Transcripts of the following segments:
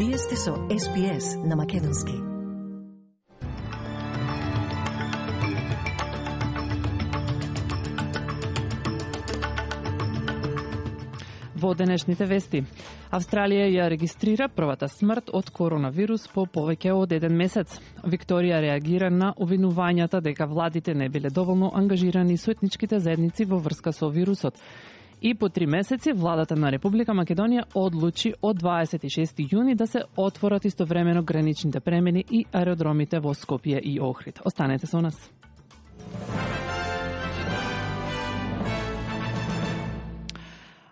Вие сте со SPS на Македонски. Во денешните вести, Австралија ја регистрира првата смрт од коронавирус по повеќе од 1 месец. Викторија реагира на обвинувањата дека владите не биле доволно ангажирани со етничките заедници во врска со вирусот. И по 3 месеци владата на Република Македонија одлучи од 26 јуни да се отворат истовремено граничните премини и аеродромите во Скопје и Охрид. Останете со нас.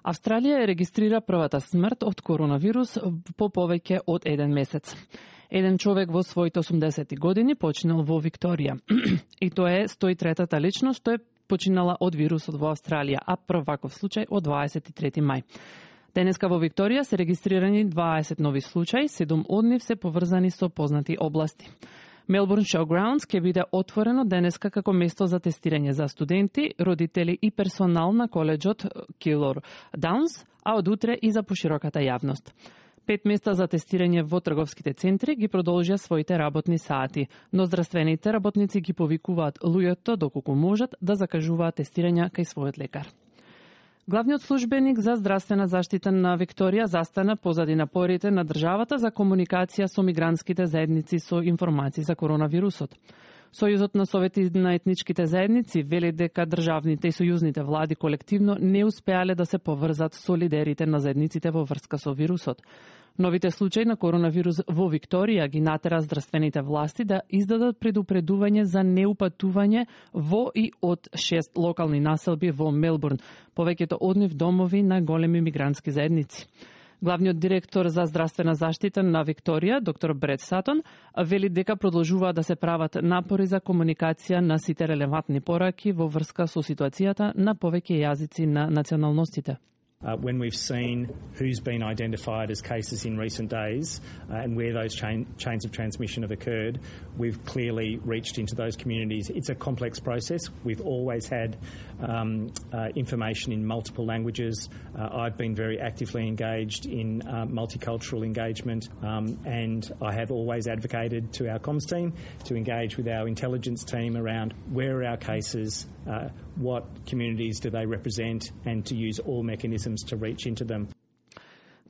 Австралија регистрира првата смрт од коронавирус по повеќе од 1 месец. Еден човек во своите 80 години починал во Викторија. И тоа е 103-та личност што е починала од вирусот во Австралија, а прв ваков случај од 23 мај. Денеска во Викторија се регистрирани 20 нови случаи, 7 од нив се поврзани со познати области. Melbourne Showgrounds ќе биде отворено денеска како место за тестирање за студенти, родители и персонал на коледжот Keilor Downs, а од утре и за пошироката јавност. 5 места за тестирање во трговските центри ги продолжија своите работни сати, но здравствените работници ги повикуваат луѓето доколку можат да закажуваат тестирања кај својот лекар. Главниот службеник за здравствена заштита на Викторија застана позади напорите на државата за комуникација со мигрантските заедници со информации за коронавирусот. Сојузот на совети на етничките заедници вели дека државните и сојузните влади колективно не успеале да се поврзат со лидерите на заедниците во врска со вирусот. Новите случаи на коронавирус во Викторија ги натера здравствените власти да издадат предупредување за неупатување во и од 6 локални населби во Мелбурн, повеќето од нив домови на големи мигрантски заедници. Главниот директор за здравствена заштита на Викторија, доктор Брет Сатон, вели дека продолжуваат да се прават напори за комуникација на сите релевантни пораки во врска со ситуацијата на повеќе јазици на националностите. When we've seen who's been identified as cases in recent days and where those chains of transmission have occurred, we've clearly reached into those communities. It's a complex process. We've always had information in multiple languages. I've been very actively engaged in multicultural engagement and I have always advocated to our comms team to engage with our intelligence team around where are our cases, what communities do they represent, and to use all mechanisms to reach into them.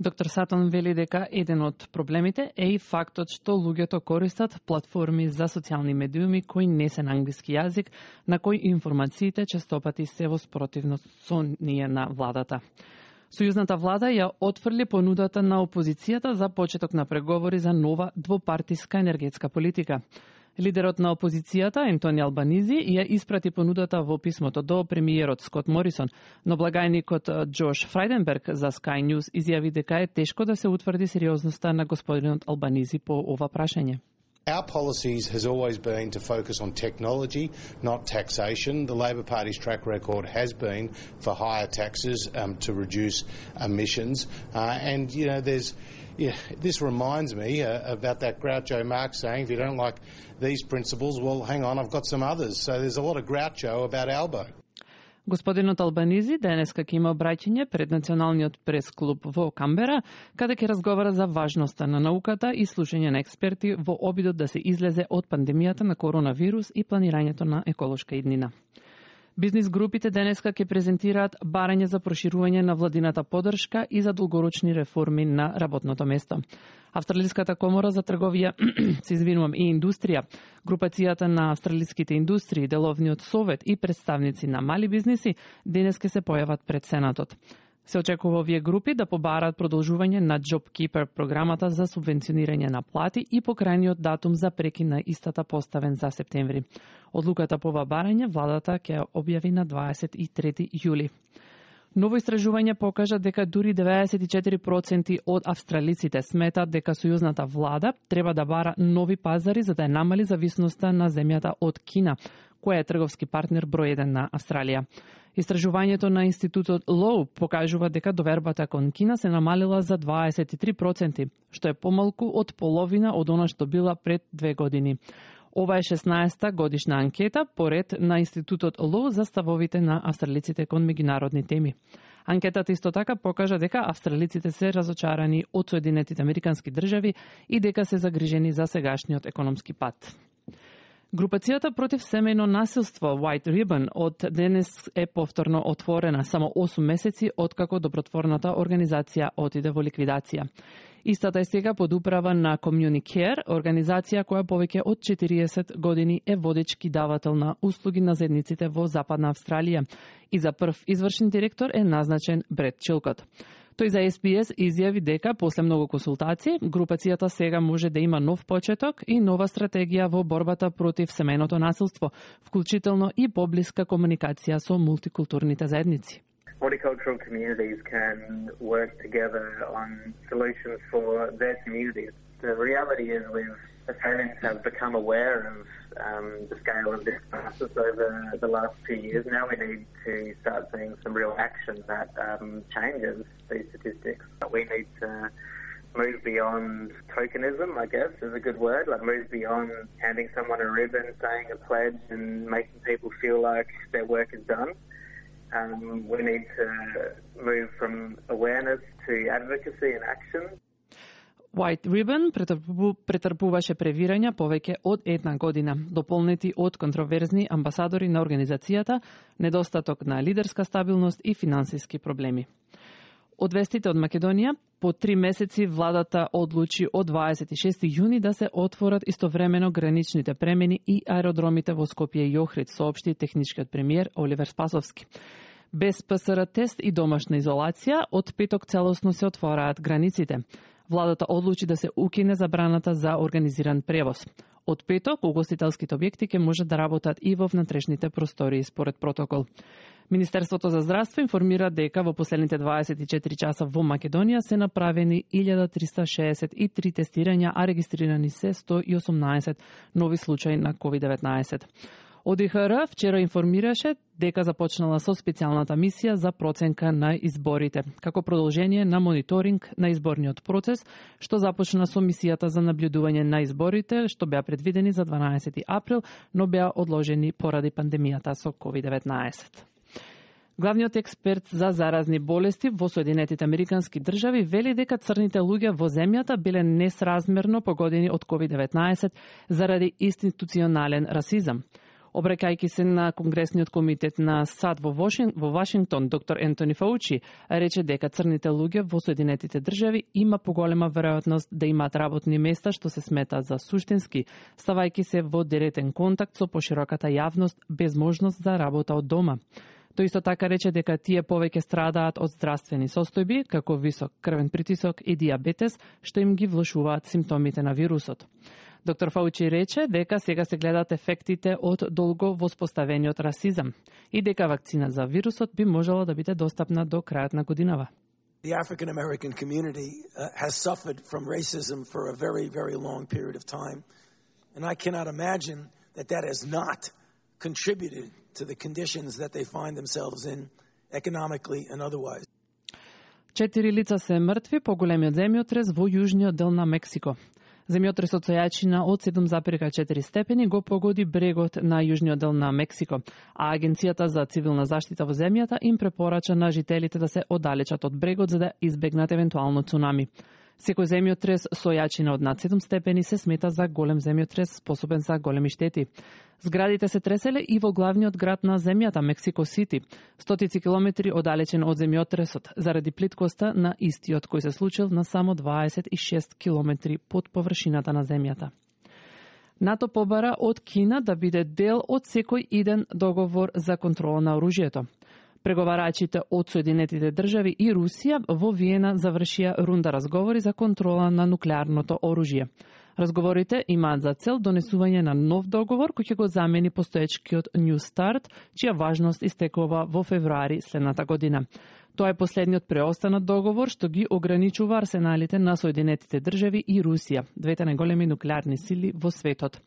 Доктор Сатон вели дека еден од проблемите е и фактот што луѓето користат платформи за социјални медиуми кои не се на англиски јазик, на кои информациите честопати се во спротивност со ние на владата. Сојузната влада ја отфрли понудата на опозицијата за почеток на преговори за нова двопартиска енергетска политика. Лидерот на опозицијата, Ентони Албанизи, ја испрати понудата во писмото до премиерот Скот Морисон, но благајникот Джош Фрајденберг за Sky News изјави дека е тешко да се утврди сериозноста на господинот Албанизи по ова прашање. Our policies has always been to focus on technology, not taxation. The Labor Party's track record has been for higher taxes to reduce emissions. And, you know, this reminds me about that Groucho Marx saying, if you don't like these principles, well, hang on, I've got some others. So there's a lot of Groucho about Albo. Господинот Албанизи денеска ќе има обраќање пред Националниот прес-клуб во Камбера, каде ќе разговара за важноста на науката и слушање на експерти во обидот да се излезе од пандемијата на коронавирус и планирањето на еколошка иднина. Бизнис групите денеска ќе презентираат барање за проширување на владината поддршка и за долгорочни реформи на работното место. Австралиската комора за трговија и индустрија, групацијата на австралиските индустрии, деловниот совет и представници на мали бизниси денеска се појават пред Сенатот. Се очекува овие групи да побараат продолжување на JobKeeper програмата за субвенционирање на плати и покрајниот датум за прекин на истата поставен за септември. Одлуката по ова барање владата ќе објави на 23 јули. Ново истражување покажа дека дури 94% од австралиците сметат дека сојузната влада треба да бара нови пазари за да ја намали зависноста на земјата од Кина, која е трговски партнер број 1 на Австралија. Истражувањето на институтот Лоу покажува дека довербата кон Кина се намалила за 23%, што е помалку од половина од она што била пред 2 години. Ова е 16-та годишна анкета поред на институтот Лоу за ставовите на австралиците кон меѓународни теми. Анкетата исто така покажа дека австралиците се разочарани од Соединетите Американски држави и дека се загрижени за сегашниот економски пат. Групацијата против семејно насилство White Ribbon од денес е повторно отворена само 8 месеци откако добротворната организација отиде во ликвидација. Истата е сега под управа на Communicare, организација која повеќе од 40 години е водечки давател на услуги на заедниците во Западна Австралија и за прв извршен директор е назначен Брет Чилкот. Тој за SBS изјави дека после многу консултации, групацијата сега може да има нов почеток и нова стратегија во борбата против семејното насилство, вклучително и поблиска комуникација со мултикултурните заедници. Multicultural communities can work together on solutions for their communities. The reality is Australians have become aware of the scale of this crisis over the last 2 years. Now we need to start seeing some real action that changes these statistics. We need to move beyond tokenism, I guess, is a good word, like move beyond handing someone a ribbon, saying a pledge and making people feel like their work is done. We need to move from awareness to advocacy and action. White Ribbon претрпуваше превирања повеќе од една година, дополнети од контроверзни амбасадори на организацијата, недостаток на лидерска стабилност и финансиски проблеми. Од вестите од Македонија, по 3 месеци владата одлучи од 26 јуни да се отворат истовремено граничните премини и аеродромите во Скопје и Охрид, соопшти техничкиот премиер Оливер Спасовски. Без ПСР тест и домашна изолација, од петок целосно се отвораат границите. Владата одлучи да се укине забраната за организиран превоз. Од петок, угостителските објекти ќе можат да работат и во внатрешните простории според протокол. Министерството за здравство информира дека во последните 24 часа во Македонија се направени 1363 тестирања, а регистрирани се 118 нови случаи на COVID-19. ОДИХР вчера информираше дека започнала со специјалната мисија за проценка на изборите, како продолжение на мониторинг на изборниот процес, што започна со мисијата за наблюдување на изборите, што беа предвидени за 12 април, но беа одложени поради пандемијата со COVID-19. Главниот експерт за заразни болести во Соединетите Американски држави вели дека црните луѓе во земјата биле несразмерно погодени од COVID-19 заради институционален расизам. Обраќајќи се на Конгресниот комитет на САД во Вашингтон, доктор Ентони Фаучи рече дека црните луѓе во Соединетите држави има поголема веројатност да имаат работни места што се смета за суштински, ставајќи се во директен контакт со пошироката јавност без можност за работа од дома. Тој исто така рече дека тие повеќе страдаат од здравствени состојби, како висок крвен притисок и диабетес, што им ги влошуваат симптомите на вирусот. Доктор Фаучи рече дека сега се гледаат ефектите од долго воспоставениот расизам и дека вакцина за вирусот би можела да биде достапна до крајот на годинава. The African American community has suffered from racism for a very, very long period of time, and I cannot imagine that has not contributed to the conditions that they find themselves in economically and otherwise. 4 лица се мртви по големиот земјотрес во јужниот дел на Мексико. Земјотресот со јачина од 7,4 степени го погоди брегот на јужниот дел на Мексико, а Агенцијата за цивилна заштита во земјата им препорача на жителите да се оддалечат од брегот за да избегнат евентуално цунами. Секој земјотрес со јачина од над 7 степени се смета за голем земјотрес способен за големи штети. Зградите се треселе и во главниот град на земјата, Мексико Сити, стотици километри оддалечен од земјотресот, заради плиткоста на истиот кој се случил на само 26 километри под површината на земјата. НАТО побара од Кина да биде дел од секој иден договор за контрола на оружјето. Преговарачите од Соединетите држави и Русија во Виена завршија рунда разговори за контрола на нуклеарното оружје. Разговорите имаат за цел донесување на нов договор кој ќе го замени постоечкиот New Start, чија важност истекува во февруари следната година. Тоа е последниот преостанат договор што ги ограничува арсеналите на Соединетите држави и Русија, двете најголеми нуклеарни сили во светот.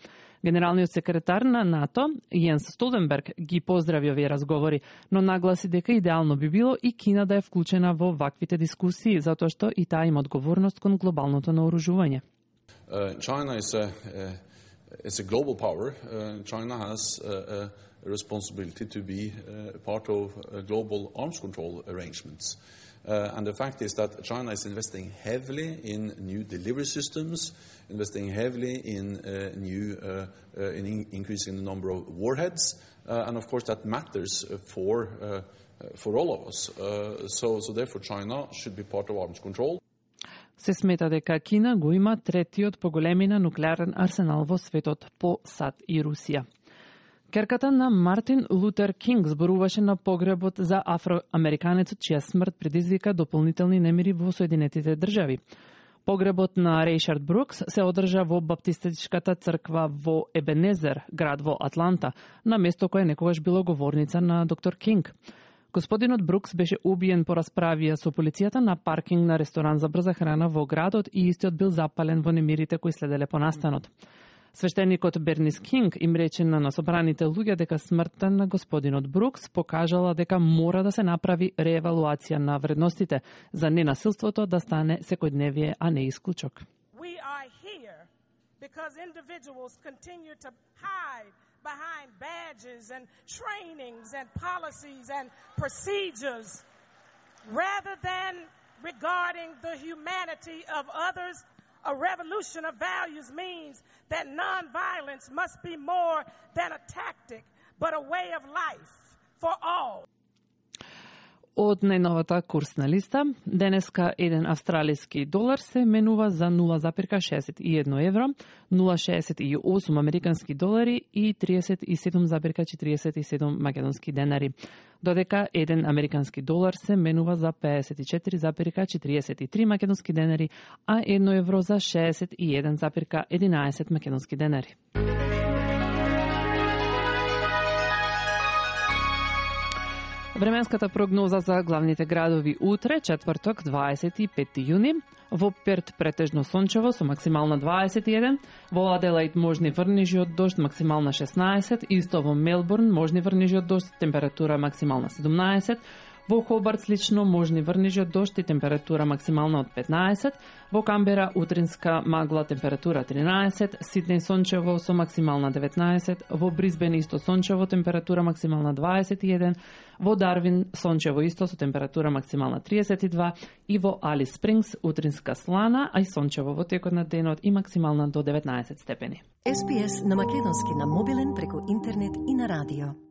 Генералниот секретар на НАТО, Јенс Столтенберг, ги поздрави овие разговори, но нагласи дека идеално би било и Кина да е вклучена во ваквите дискусии, затоа што и таа има одговорност кон глобалното наоружување. China is As a global power, China has a responsibility to be part of global arms control arrangements. And the fact is that China is investing heavily in new delivery systems, investing heavily in increasing the number of warheads, and of course that matters for all of us. So therefore China should be part of arms control. Се смета дека Кина го има третиот по големина нуклеарен арсенал во светот по САД и Русија. Керката на Мартин Лутер Кинг зборуваше на погребот за афроамериканецот чија смрт предизвика дополнителни немири во Соединетите држави. Погребот на Рейшард Брукс се одржа во баптистичката црква во Ебенезер, град во Атланта, на место кое некогаш било говорница на доктор Кинг. Господинот Брукс беше убиен по расправија со полицијата на паркинг на ресторан за брза храна во градот и истиот бил запален во немирите кои следеле по настанот. Свештеникот Бернис Кинг им рече на собраните луѓе дека смртта на господинот Брукс покажала дека мора да се направи реевалуација на вредностите за ненасилството да стане секојдневие, а не исклучок. We are here because individuals continue to hide behind badges and trainings and policies and procedures rather than regarding the humanity of others. A revolution of values means that nonviolence must be more than a tactic, but a way of life for all. Од најновата курсна листа, денеска еден австралиски долар се менува за 0,61 евро, 0,68 американски долари и 37,47 македонски денари, додека еден американски долар се менува за 54,43 македонски денари, а 1 евро за 61,11 македонски денари. Временската прогноза за главните градови утре, четврток, 25 јуни. Во Перт претежно сончево со максимална 21, во Аделаид можни врнежи од дожд, максимална 16, исто во Мелбурн можни врнежи од дожд, температура максимална 17, во Хобарт слично можни врнежи од дожд и температура максимална од 15, во Камбера утринска магла температура 13, Сиднеј сончево со максимална 19, во Брисбен исто сончево температура максимална 21, во Дарвин сончево исто со температура максимална 32 и во Алис Спрингс утринска слана, а и сончево во текот на денот и максимална до 19 степени. SPS на македонски на мобилен преку интернет и на радио.